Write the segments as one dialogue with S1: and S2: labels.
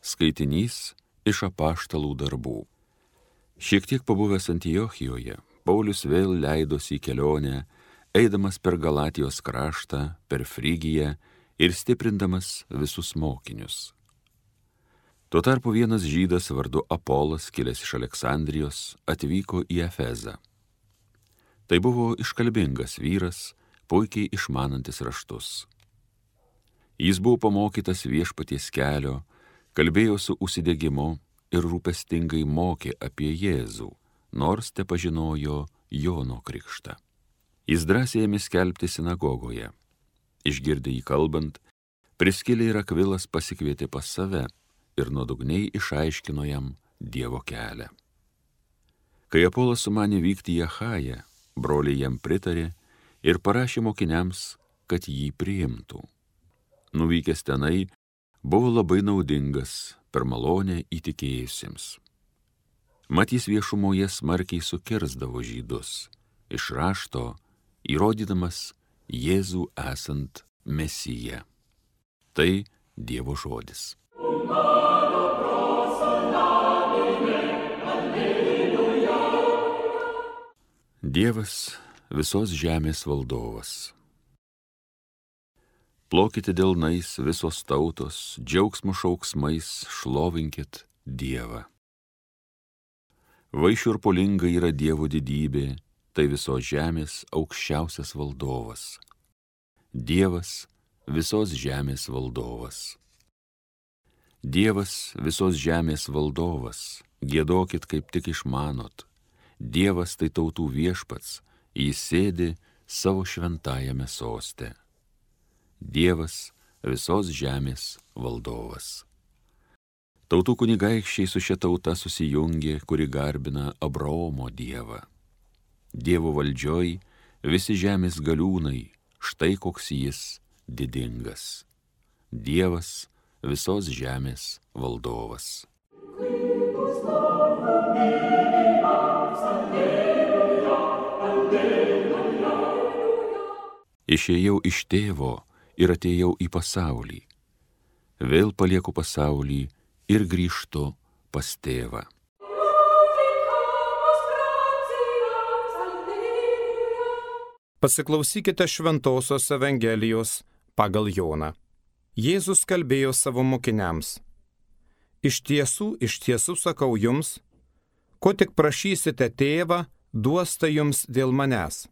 S1: Skaitinys iš apaštalų darbų. Šiek tiek pabuvęs Antiochijoje, Paulius vėl leidosi į kelionę, eidamas per Galatijos kraštą, per Frygiją ir stiprindamas visus mokinius. Tuo tarpu vienas žydas vardu Apolas, kilęs iš Aleksandrijos, atvyko į Efezą. Tai buvo iškalbingas vyras, puikiai išmanantis raštus. Jis buvo pamokytas viešpaties kelio, kalbėjo su užsidegimu ir rūpestingai mokė apie Jėzų, nors tepažinojo Jono krikštą. Jis drąsiai ėmė skelbti sinagogoje. Išgirdę jį kalbant, Priskilė ir Akvilas pasikvietė pas save ir nuodugniai išaiškino jam Dievo kelią. Kai Apolas sumanė vykti į Achają, broliai jam pritarė ir parašė mokiniams, kad jį priimtų. Nuvykęs tenai, buvo labai naudingas per malonę įtikėjusiems. Mat jis viešumoje smarkiai sukirsdavo žydus, iš rašto įrodydamas Jėzų esant Mesiją. Tai Dievo žodis. Dievas visos žemės valdovas. Plokite delnais visos tautos, džiaugsmo šauksmais šlovinkit Dievą. Vaišiurpulinga yra Dievo didybė, tai visos žemės aukščiausias valdovas. Dievas visos žemės valdovas. Dievas visos žemės valdovas, giedokit kaip tik išmanot. Dievas tai tautų viešpats, jis sėdi savo šventajame soste. Dievas visos žemės valdovas. Tautų kunigaikščiai su šia tauta susijungė, kuri garbina Abraomo Dievą. Dievo valdžioj visi žemės galiūnai, štai koks jis didingas. Dievas visos žemės valdovas. Išėjau iš tėvo ir atėjau į pasaulį. Vėl palieku pasaulį ir grįžtu pas tėvą.
S2: Pasiklausykite Šventosios Evangelijos pagal Joną. Jėzus kalbėjo savo mokiniams. Iš tiesų sakau jums, ko tik prašysite tėvą, duos tai jums dėl manęs.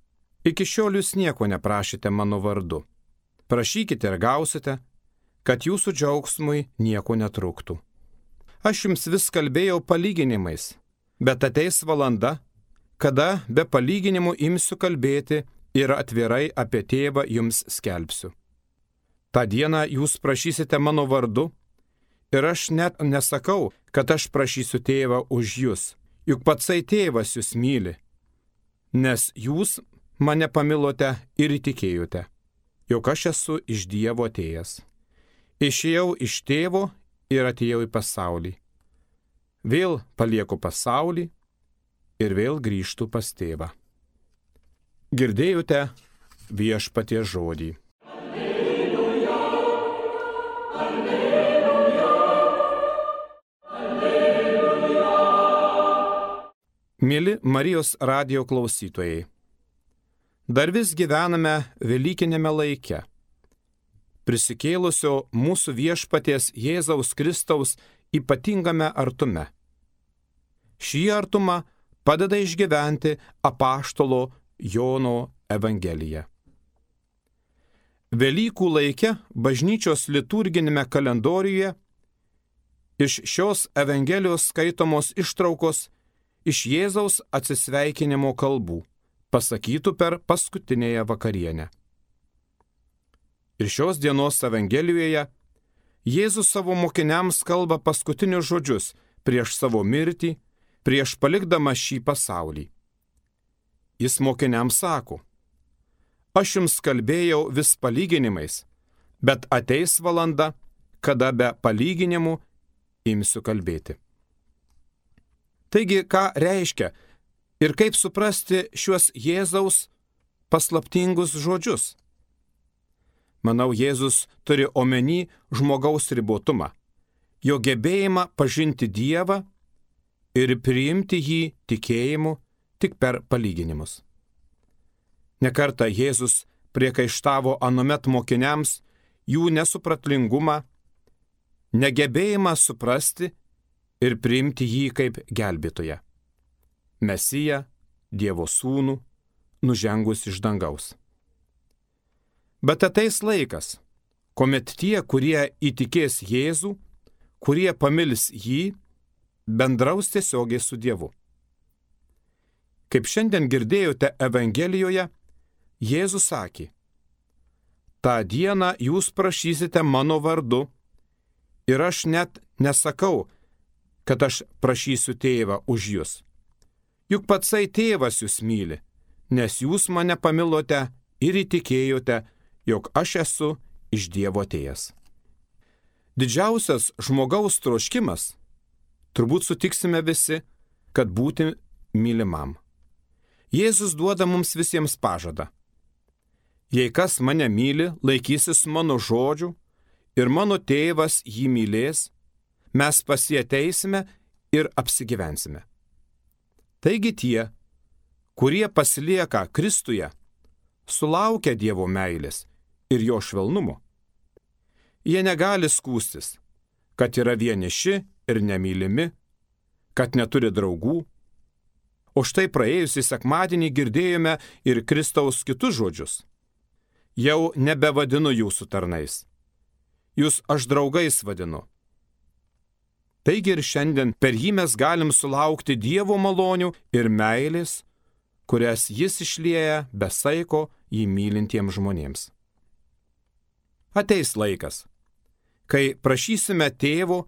S2: Iki šiol jūs nieko neprašėte mano vardu. Prašykite ir gausite, kad jūsų džiaugsmui nieko netrūktų. Aš jums vis kalbėjau palyginimais, bet ateis valanda, kada be palyginimų imsiu kalbėti ir atvirai apie tėvą jums skelbsiu. Ta diena jūs prašysite mano vardu, ir aš net nesakau, kad aš prašysiu tėvą už jūs, juk patsai tėvas jūs myli, nes jūs mane pamilote ir įtikėjote, jog aš esu iš Dievo atėjęs. Išėjau iš tėvo ir atėjau į pasaulį. Vėl palieku pasaulį ir vėl grįžtu pas tėvą. Girdėjote viešpaties žodį.
S3: Alleluja, alleluja, alleluja.
S2: Mieli Marijos radijo klausytojai, dar vis gyvename velykinėme laike, prisikėlusio mūsų viešpaties Jėzaus Kristaus ypatingame artume. Šį artumą padeda išgyventi apaštalo Jono Evangelija. Velykų laike bažnyčios liturginėme kalendoriuje iš šios Evangelijos skaitomos ištraukos iš Jėzaus atsisveikinimo kalbų, pasakytų per paskutinėje vakarienę. Ir šios dienos Evangelijoje Jėzus savo mokiniams kalba paskutinius žodžius prieš savo mirtį, prieš palikdamas šį pasaulį. Jis mokiniams sako: aš jums kalbėjau vis palyginimais, bet ateis valanda, kada be palyginimų imsiu kalbėti. Taigi, ką reiškia ir kaip suprasti šiuos Jėzaus paslaptingus žodžius? Manau, Jėzus turi omeny žmogaus ribotumą, jo gebėjimą pažinti Dievą ir priimti jį tikėjimu tik per palyginimus. Nekartą Jėzus priekaištavo anuomet mokiniams jų nesupratlingumą, negebėjimą suprasti ir priimti jį kaip gelbėtoją, Mesiją, Dievo sūnų, nužengus iš dangaus. Bet ateis laikas, kuomet tie, kurie įtikės Jėzų, kurie pamils jį, bendraus tiesiogiai su Dievu. Kaip šiandien girdėjote Evangelijoje, Jėzus sakė: "Ta diena jūs prašysite mano vardu, ir aš net nesakau, kad aš prašysiu tėvą už jūs. Juk patsai tėvas jūs myli, nes jūs mane pamilote ir įtikėjote, jog aš esu iš Dievo atėjęs." Didžiausias žmogaus troškimas, turbūt sutiksime visi, kad būti mylimam. Jėzus duoda mums visiems pažadą: "Jei kas mane myli, laikysis mano žodžių ir mano tėvas jį mylės, mes pas jį ateisime ir apsigyvensime." Taigi tie, kurie pasilieka Kristuje, sulaukia Dievo meilės ir jo švelnumo. Jie negali skųstis, kad yra vieniši ir nemylimi, kad neturi draugų. O štai praėjusį sekmadienį girdėjome ir Kristaus kitus žodžius: "Jau nebevadinu jūsų tarnais, jūs aš draugais vadinu." Taigi ir šiandien per jį mes galim sulaukti Dievo malonių ir meilės, kurias jis išlieja be saiko jį mylintiems žmonėms. Ateis laikas, kai prašysime tėvo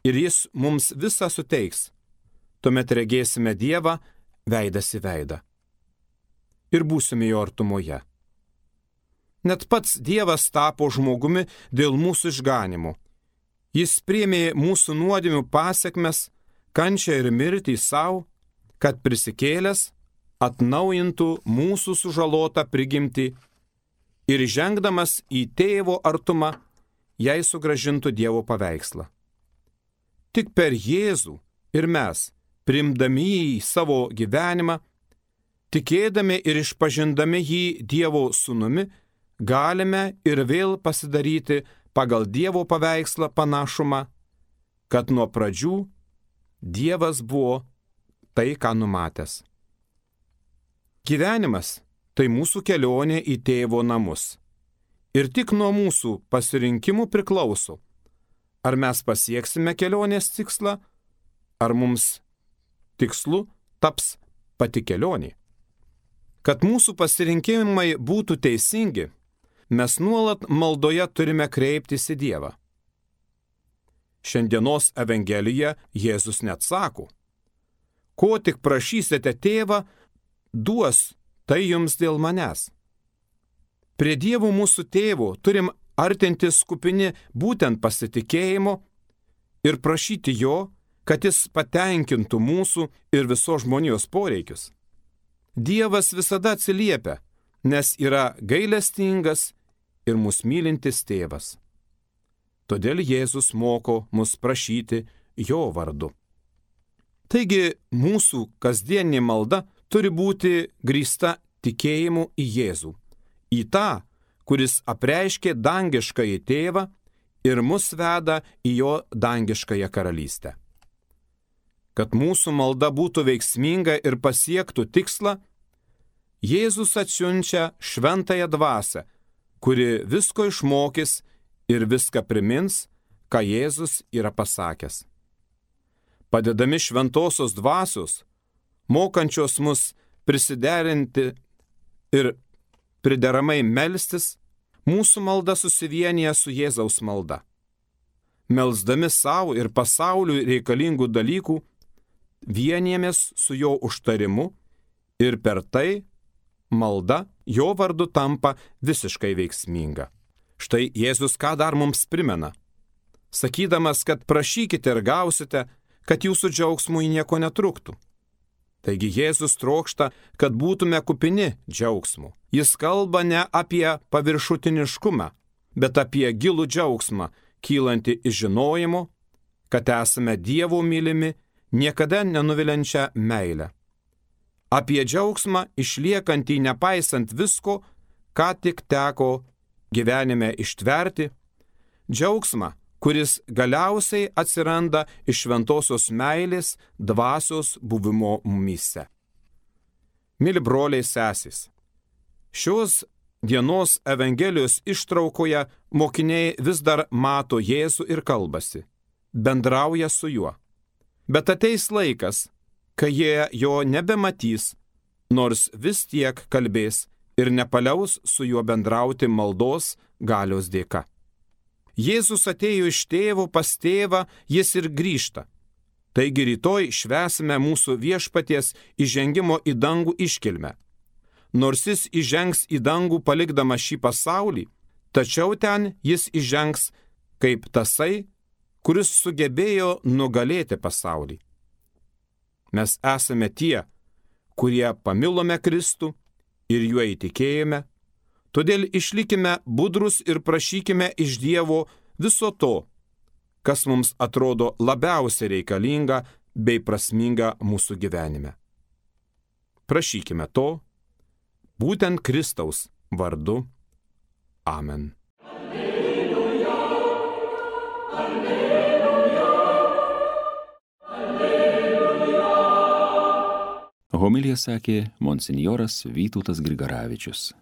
S2: ir jis mums visą suteiks. Tuomet regėsime Dievą veidas į veidą ir būsime jo artumoje. Net pats Dievas tapo žmogumi dėl mūsų išganimo. Jis priėmė mūsų nuodėmių pasekmes, kančią ir mirtį savo, kad prisikėlęs atnaujintų mūsų sužalotą prigimtį ir žengdamas į tėvo artumą, jai sugrąžintų Dievo paveikslą. Tik per Jėzų ir mes, priimdami jį į savo gyvenimą, tikėdami ir išpažindami jį Dievo sūnumi, galime ir vėl pasidaryti pagal Dievo paveikslą panašumą, kad nuo pradžių Dievas buvo tai, ką numatęs. Gyvenimas tai mūsų kelionė į tėvo namus. Ir tik nuo mūsų pasirinkimų priklauso, ar mes pasieksime kelionės tikslą, ar mums tikslu taps pati kelionė. Kad mūsų pasirinkimai būtų teisingi, mes nuolat maldoje turime kreiptis į Dievą. Šiandienos Evangelijoje Jėzus net sako: "Ko tik prašysite tėvą, duos tai jums dėl manęs." Prie Dievo mūsų tėvo turim artintis kupini būtent pasitikėjimo ir prašyti jo, kad jis patenkintų mūsų ir visos žmonijos poreikius. Dievas visada atsiliepia, nes yra gailestingas ir mus mylintis tėvas. Todėl Jėzus moko mus prašyti jo vardu. Taigi mūsų kasdieninė malda turi būti grįsta tikėjimu į Jėzų, į tą, kuris apreiškė dangiškąjį tėvą ir mus veda į jo dangiškąją karalystę. Kad mūsų malda būtų veiksminga ir pasiektų tikslą, Jėzus atsiunčia šventąją dvasią, kuri visko išmokys ir viską primins, ką Jėzus yra pasakęs. Padedami šventosios dvasios, mokančios mus prisiderinti ir prideramai melstis, mūsų malda susivienyje su Jėzaus malda. Melsdami savo ir pasauliui reikalingų dalykų, vienijamės su jo užtarimu ir per tai malda jo vardu tampa visiškai veiksminga. Štai Jėzus ką dar mums primena, sakydamas, kad prašykite ir gausite, kad jūsų džiaugsmui nieko netruktų. Taigi Jėzus trokšta, kad būtume kupini džiaugsmų. Jis kalba ne apie paviršutiniškumą, bet apie gilų džiaugsmą, kylantį iš žinojimo, kad esame Dievo mylimi, niekada nenuviliančią meilę. Apie džiaugsmą išliekantį nepaisant visko, ką tik teko gyvenime ištverti, džiaugsmą, kuris galiausiai atsiranda iš šventosios meilės dvasios buvimo mumyse. Mili broliai sesės, šios dienos Evangelijos ištraukoje mokiniai vis dar mato Jėzų ir kalbasi, bendrauja su juo. Bet ateis laikas, kai jie jo nebematys, nors vis tiek kalbės ir nepaliaus su juo bendrauti maldos galios dėka. Jėzus atėjo iš tėvo pas tėvą, jis ir grįžta. Taigi rytoj švęsime mūsų viešpaties įžengimo į dangų iškilmę. Nors jis įžengs į dangų palikdamas šį pasaulį, tačiau ten jis įžengs kaip tasai, kuris sugebėjo nugalėti pasaulį. Mes esame tie, kurie pamilome Kristų ir juo įtikėjome, todėl išlikime budrus ir prašykime iš Dievo viso to, kas mums atrodo labiausiai reikalinga bei prasminga mūsų gyvenime. Prašykime to, būtent Kristaus vardu. Amen.
S3: Alleluja, alleluja, alleluja.
S1: Homiliją sakė monsinjoras Vytautas Grigaravičius.